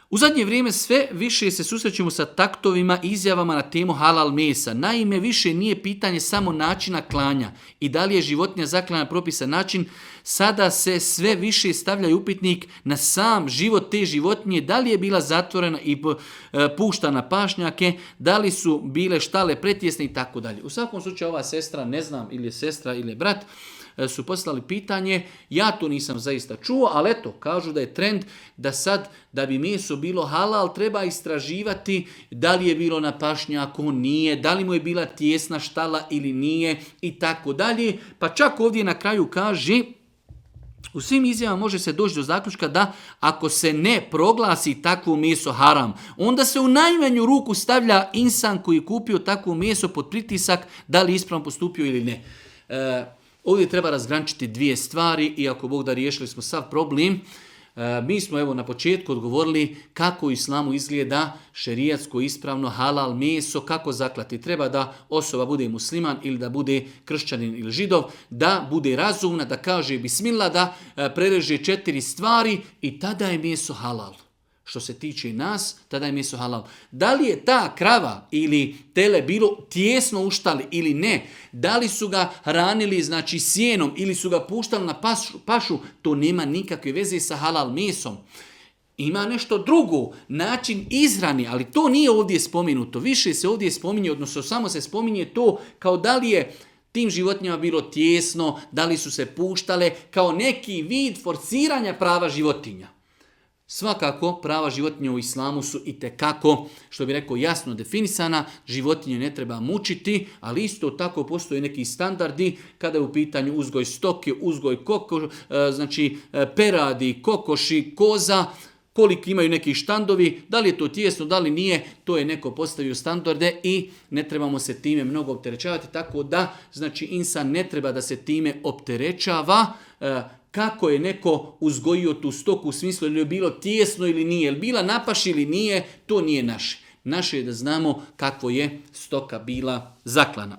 U zadnje vrijeme sve više se susrećemo sa taktovima i izjavama na temu halal mesa. Naime, više nije pitanje samo načina klanja i da li je životinja zaklana na propisan način. Sada se sve više stavlja upitnik na sam život te životinje, da li je bila zatvorena i puštana pašnjake, da li su bile štale pretjesne i tako dalje. U svakom slučaju ova sestra, ne znam ili je sestra ili je brat, su poslali pitanje, ja to nisam zaista čuo, ali eto, kažu da je trend da sad, da bi meso bilo halal, treba istraživati da li je bilo na pašnjaku, nije, da li mu je bila tijesna štala ili nije i tako dalje. Pa čak ovdje na kraju kaže, u svim izjavama može se doći do zaključka da ako se ne proglasi takvo meso haram, onda se u najmanju ruku stavlja insan koji je kupio takvo meso pod pritisak da li ispravno postupio ili ne. Ovdje treba razgraničiti dvije stvari i ako Bog da riješili smo sav problem. Mi smo evo na početku odgovorili kako u islamu izgleda šerijatsko ispravno halal meso, kako zaklati. Treba da osoba bude musliman ili da bude kršćanin ili židov, da bude razumna, da kaže bismillah, da prereže 4 stvari i tada je meso halal. Što se tiče nas, tada je meso halal. Da li je ta krava ili tele bilo tijesno u štali ili ne, da li su ga hranili znači sjenom ili su ga puštali na pašu, to nema nikakve veze sa halal mesom. Ima nešto drugo, način izhrane, ali to nije ovdje spomenuto. Više se ovdje spominje, odnosno samo se spominje to kao da li je tim životinjama bilo tijesno, da li su se puštale, kao neki vid forsiranja prava životinja. Svakako, prava životinja u islamu su itekako, što bi rekao, jasno definisana. Životinje ne treba mučiti, ali isto tako postoje neki standardi kada je u pitanju uzgoj stoke, uzgoj peradi, kokoši, koza, koliko imaju neki štandovi, da li je to tijesno, da li nije, to je neko postavio standarde i ne trebamo se time mnogo opterećavati, tako da znači insan ne treba da se time opterećava. Kako je neko uzgojio tu stoku u smislu ili je bilo tijesno ili nije, ili bila na paši ili nije, to nije naše. Naše je da znamo kako je stoka bila zaklana.